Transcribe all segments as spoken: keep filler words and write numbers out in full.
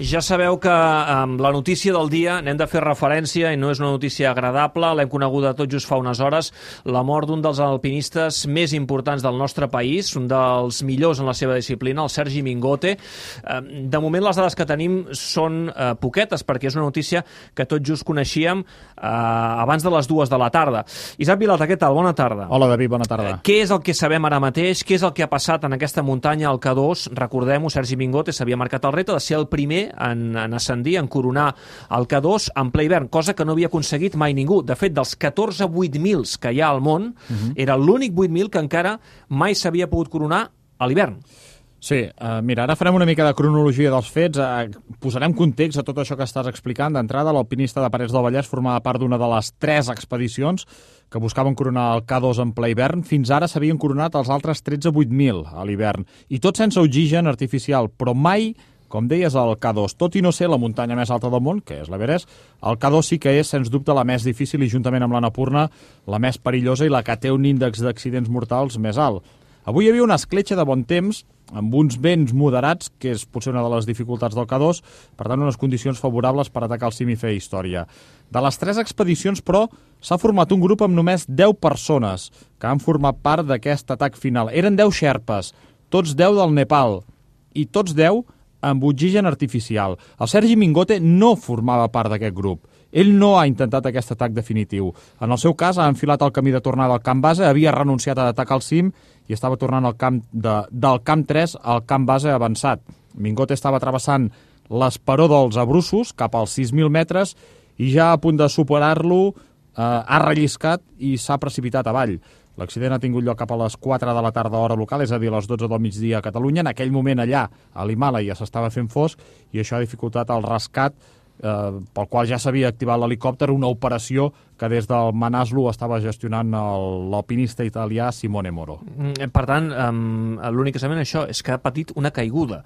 Ja sabeu que amb la notícia del dia n'hem de fer referència i no és una notícia agradable, l'hem coneguda tot just fa unes hores, la mort d'un dels alpinistes més importants del nostre país, un dels millors en la seva disciplina, el Sergi Mingote. De moment les dades que tenim són eh, poquetes, perquè és una notícia que tot just coneixíem eh, abans de les dues de la tarda. Isaac Vilalta, què tal? Bona tarda. Hola, David, bona tarda. Eh, què és el que sabem ara mateix? Què és el que ha passat en aquesta muntanya, al K dos? Recordem-ho, Sergi Mingote s'havia marcat el repte de ser el primer en, en ascendir, en coronar el K dos en ple hivern, cosa que no havia aconseguit mai ningú. De fet, dels catorze vuit mils que hi ha al món, uh-huh. era l'únic vuit mil que encara mai s'havia pogut coronar a l'hivern. Sí, uh, mira, ara farem una mica de cronologia dels fets, uh, posarem context a tot això que estàs explicant. D'entrada, l'alpinista de Parets del Vallès formava part d'una de les tres expedicions que buscaven coronar el K dos en ple hivern. Fins ara s'havien coronat els altres tretze vuit mil a l'hivern, i tot sense oxigen artificial, però mai, com deies, el K dos. Tot i no ser la muntanya més alta del món, que és l'Everest, el K dos sí que és, sens dubte, la més difícil i, juntament amb l'Annapurna, la més perillosa i la que té un índex d'accidents mortals més alt. Avui hi havia una escletxa de bon temps, amb uns vents moderats, que és potser una de les dificultats del K dos, per tant, unes condicions favorables per atacar el cim i fer història. De les tres expedicions, però, s'ha format un grup amb només deu persones que han format part d'aquest atac final. Eren deu xerpes, tots deu del Nepal, i tots deu amb oxigen artificial. El Sergi Mingote no formava part d'aquest grup. Ell no ha intentat aquest atac definitiu. En el seu cas, ha enfilat el camí de tornada al camp base, havia renunciat a atacar el cim i estava tornant al camp de, del camp tres al camp base avançat. Mingote estava travessant l'esperó dels Abrussos cap als sis mil metres i ja a punt de superar-lo eh, ha relliscat i s'ha precipitat avall. L'accident ha tingut lloc cap a les quatre de la tarda hora local, és a dir, a les dotze del migdia a Catalunya. En aquell moment allà, a l'Himàlaia, s'estava fent fosc i això ha dificultat el rescat, eh, pel qual ja s'havia activat l'helicòpter, una operació que des del Manaslu estava gestionant l'alpinista italià Simone Moro. Per tant, l'únic que sabem això és que ha patit una caiguda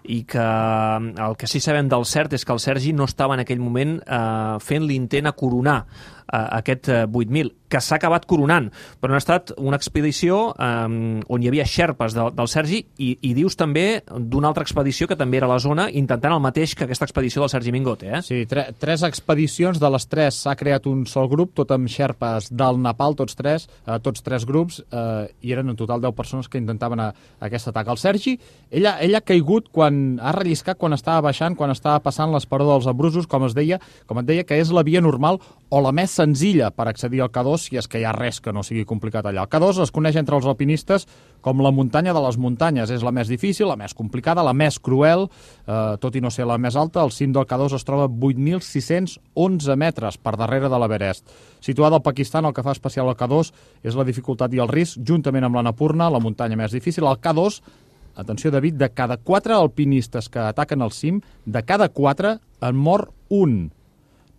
i que el que sí sabem del cert és que el Sergi no estava en aquell moment eh, fent l'intent a coronar aquest vuit mil, que s'ha acabat coronant, però ha estat una expedició um, on hi havia xerpes de, del Sergi i, i dius també d'una altra expedició que també era a la zona intentant el mateix que aquesta expedició del Sergi Mingote, eh? Sí, tre tres expedicions, de les tres s'ha creat un sol grup, tot amb xerpes del Nepal, tots tres, eh, tots tres grups, eh, i eren en total deu persones que intentaven a, a aquest atac. El Sergi, ell ha, ell ha caigut quan ha relliscat, quan estava baixant, quan estava passant l'esperó dels Abrussos, com es deia, com et deia, que és la via normal o la més senzilla per accedir al K dos, si és que hi ha res que no sigui complicat allà. El K dos es coneix entre els alpinistes com la muntanya de les muntanyes. És la més difícil, la més complicada, la més cruel, eh, tot i no ser la més alta. El cim del K dos es troba a vuit mil sis-cents onze metres per darrere de l'Everest. Situada al Pakistan, el que fa especial al K dos és la dificultat i el risc, juntament amb l'Annapurna, la muntanya més difícil. El K dos, atenció David, de cada quatre alpinistes que ataquen el cim, de cada quatre en mor un.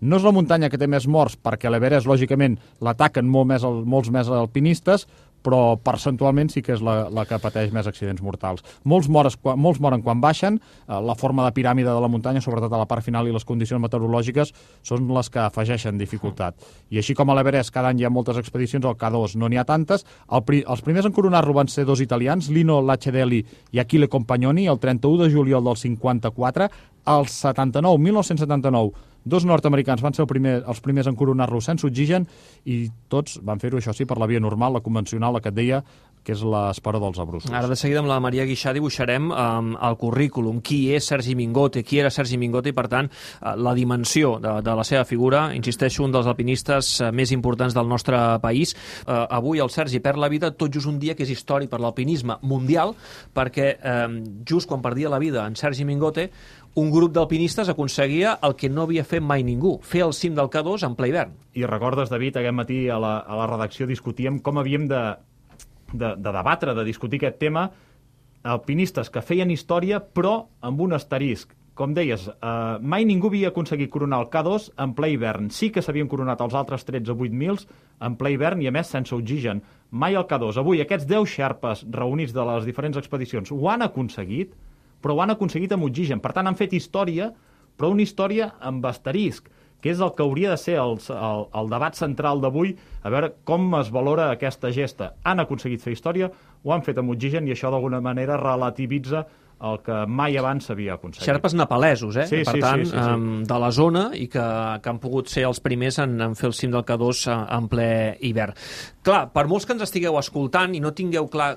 No és la muntanya que té més morts, perquè a l'Everest, lògicament, l'ataquen molt més, molts més alpinistes, però percentualment sí que és la, la que pateix més accidents mortals. Molts, mores, molts moren quan baixen, eh, la forma de piràmide de la muntanya, sobretot a la part final, i les condicions meteorològiques són les que afegeixen dificultat. I així com a l'Everest cada any hi ha moltes expedicions, al K dos no n'hi ha tantes. El pri, els primers en coronar-lo van ser dos italians, Lino Lacedelli i Achille Compagnoni, el trenta-u de juliol del cinquanta-quatre. El setanta-nou, mil nou-cents setanta-nou, dos nord-americans van ser el primer, els primers en coronar-lo sense oxigen i tots van fer-ho, això sí, per la via normal, la convencional, la que et deia, que és l'esperó dels Abrussos. Ara de seguida amb la Maria Guixà dibuixarem um, el currículum, qui és Sergi Mingote, qui era Sergi Mingote i, per tant, uh, la dimensió de, de la seva figura. Insisteixo, un dels alpinistes uh, més importants del nostre país. Uh, avui el Sergi perd la vida tot just un dia que és històric per l'alpinisme mundial, perquè um, just quan perdia la vida en Sergi Mingote, un grup d'alpinistes aconseguia el que no havia fet mai ningú, fer el cim del K dos en ple hivern. I recordes, David, aquest matí a la, a la redacció discutíem com havíem de, de, de debatre, de discutir aquest tema, alpinistes que feien història, però amb un asterisc. Com deies, eh, mai ningú havia aconseguit coronar el K dos en ple hivern. Sí que s'havien coronat els altres tretze vuit mil en ple hivern i, a més, sense oxigen. Mai el K dos. Avui, aquests deu xerpes reunits de les diferents expedicions ho han aconseguit, però ho han aconseguit amb oxigen. Per tant, han fet història, però una història amb asterisc, que és el que hauria de ser el, el, el debat central d'avui, a veure com es valora aquesta gesta. Han aconseguit fer història, ho han fet amb oxigen, i això d'alguna manera relativitza el que mai abans s'havia aconseguit. Xerpes nepalesos, eh? Sí, per sí, tant, sí, sí, sí. Um, de la zona i que, que han pogut ser els primers en, en fer el cim del K dos en ple hivern. Clar, per molts que ens estigueu escoltant i no tingueu clar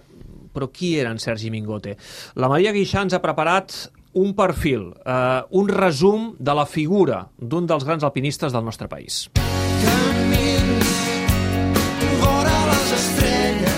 però qui era en Sergi Mingote, la Maria Guixà ens ha preparat un perfil, eh, un resum de la figura d'un dels grans alpinistes del nostre país.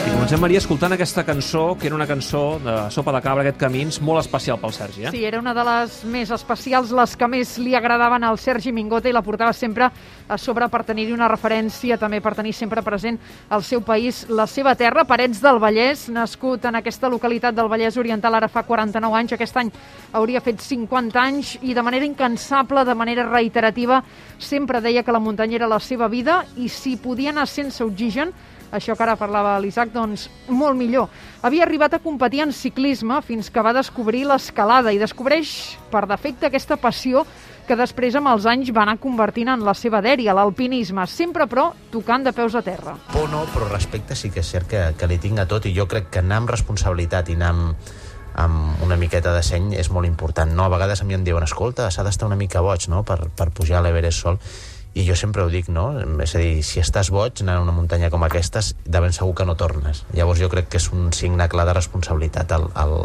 I comencem, Maria, escoltant aquesta cançó, que era una cançó de Sopa de Cabra, aquest Camins, molt especial pel Sergi, eh? Sí, era una de les més especials, les que més li agradaven al Sergi Mingote, i la portava sempre a sobre per tenir-hi una referència, també per tenir sempre present el seu país, la seva terra. Parets del Vallès, nascut en aquesta localitat del Vallès Oriental ara fa quaranta-nou anys, aquest any hauria fet cinquanta anys, i de manera incansable, de manera reiterativa, sempre deia que la muntanya era la seva vida, i si podia anar sense oxigen, això que ara parlava l'Isaac, doncs molt millor. Havia arribat a competir en ciclisme fins que va descobrir l'escalada i descobreix per defecte aquesta passió que després amb els anys va anar convertint en la seva dèria, l'alpinisme, sempre però tocant de peus a terra. Por no, però respecte sí que és cert que, que li tinc a tot, i jo crec que anar amb responsabilitat i anar amb, amb una miqueta de seny és molt important, no? A vegades a mi em diuen, escolta, s'ha d'estar una mica boig, no?, per, per pujar a l'Everest sol. I jo sempre ho dic, no? És a dir, si estàs boig anant a una muntanya com aquestes, de ben segur que no tornes. Llavors jo crec que és un signe clar de responsabilitat el, el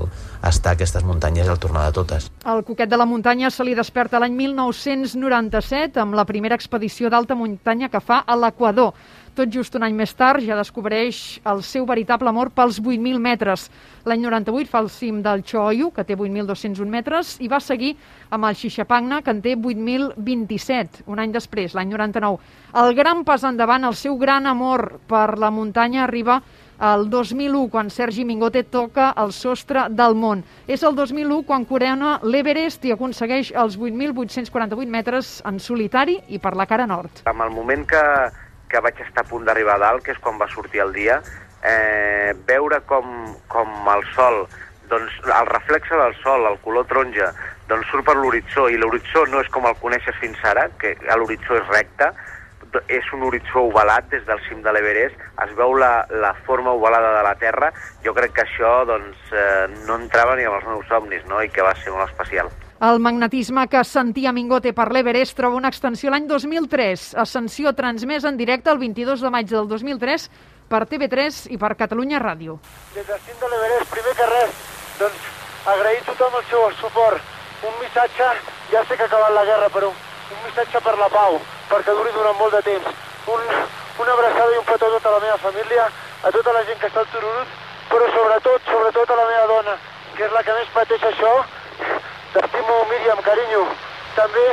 estar a aquestes muntanyes i el tornar de totes. El coquet de la muntanya se li desperta l'any mil nou-cents noranta-set amb la primera expedició d'alta muntanya que fa a l'Equador. Tot just un any més tard ja descobreix el seu veritable amor pels vuit mil metres. L'any noranta-vuit fa el cim del Choyu, que té vuit mil dos-cents un metres, i va seguir amb el Xixapagna, que en té vuit mil vint-i-set, un any després, l'any noranta-nou. El gran pas endavant, el seu gran amor per la muntanya arriba el dos mil u, quan Sergi Mingote toca el sostre del món. És el dos mil u quan corona l'Everest i aconsegueix els vuit mil vuit-cents quaranta-vuit metres en solitari i per la cara nord. En el moment que, que vaig estar a punt d'arribar a dalt, que és quan va sortir el dia, eh, veure com, com el sol, doncs el reflexe del sol, el color taronja, doncs surt per l'horitzó, i l'horitzó no és com el coneixes fins ara, que l'horitzó és recte, és un horitzó ovalat des del cim de l'Everest, es veu la, la forma ovalada de la Terra. Jo crec que això doncs, eh, no entrava ni amb els meus somnis, no?, i que va ser molt especial. El magnetisme que sentia Mingote per l'Everest troba una extensió l'any dos mil tres. Ascensió transmesa en directe el vint-i-dos de maig del dos mil tres per T V tres i per Catalunya Ràdio. Des del cim de l'Everest, primer que res, doncs agrair a tothom el seu suport. Un missatge, ja sé que ha acabat la guerra, però un missatge per la pau, perquè duri durant molt de temps. Un, una abraçada i un petó a tota la meva família, a tota la gent que està al Tururut, però sobretot, sobretot a la meva dona, que és la que més pateix això. T'estimo, Míriam, carinyo. També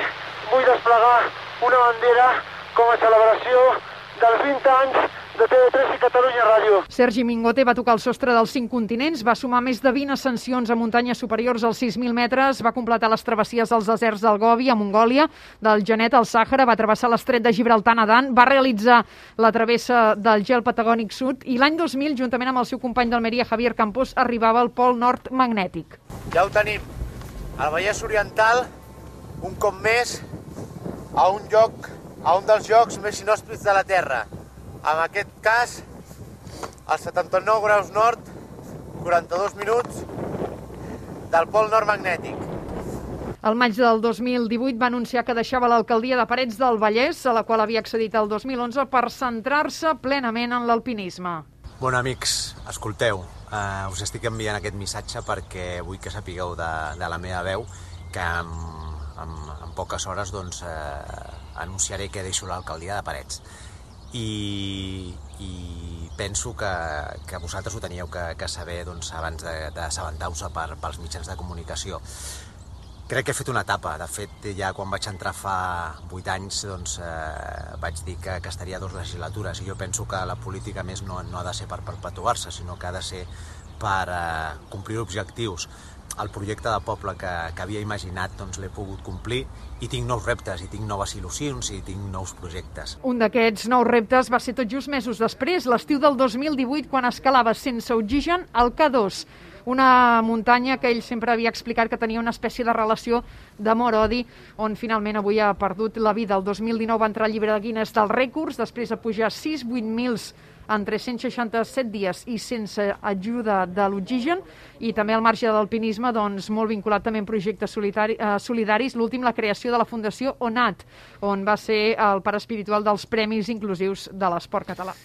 vull desplegar una bandera com a celebració dels vint anys de T V tres i Catalunya Ràdio. Sergi Mingote va tocar el sostre dels cinc continents, va sumar més de vint ascensions a muntanyes superiors als sis mil metres, va completar les travessies dels deserts del Gobi a Mongòlia, del Genet al Sàhara, va travessar l'estret de Gibraltar nedant, va realitzar la travessa del gel patagònic sud i l'any dos mil, juntament amb el seu company d'Almeria, Javier Campos, arribava al pol nord magnètic. Ja ho tenim. Al Vallès Oriental, un cop més, a un lloc, a un dels llocs més inhòspits de la Terra. En aquest cas, als setanta-nou graus nord, quaranta-dos minuts, del pol nord magnètic. El maig del dos mil divuit va anunciar que deixava l'alcaldia de Parets del Vallès, a la qual havia accedit el dos mil onze, per centrar-se plenament en l'alpinisme. Bueno, amics, escolteu, uh, us estic enviant aquest missatge perquè vull que sapigueu de, de la meva veu que en, en, en poques hores doncs, uh, anunciaré que deixo l'alcaldia de Parets. I, i penso que, que vosaltres ho teníeu que, que saber doncs, abans d'assabentar-vos per, pels mitjans de comunicació. Crec que he fet una etapa. De fet, ja quan vaig entrar fa vuit anys doncs, eh, vaig dir que, que estaria dues legislatures, i jo penso que la política més no, no ha de ser per perpetuar-se, sinó que ha de ser per eh, complir objectius. El projecte de poble que, que havia imaginat doncs, l'he pogut complir, i tinc nous reptes, i tinc noves il·lusions, i tinc nous projectes. Un d'aquests nous reptes va ser tot just mesos després, l'estiu del dos mil divuit, quan escalava sense oxigen el K dos, una muntanya que ell sempre havia explicat que tenia una espècie de relació d'amor-odi, on finalment avui ha perdut la vida. El dos mil dinou va entrar al llibre de Guinness dels rècords, després de pujar sis vuit mils en tres-cents seixanta-set dies i sense ajuda de l'oxigen, i també al marge de l'alpinisme, doncs, molt vinculat també en projectes solitari, eh, solidaris, l'últim la creació de la Fundació ONAT, on va ser el pare espiritual dels Premis Inclusius de l'Esport Català.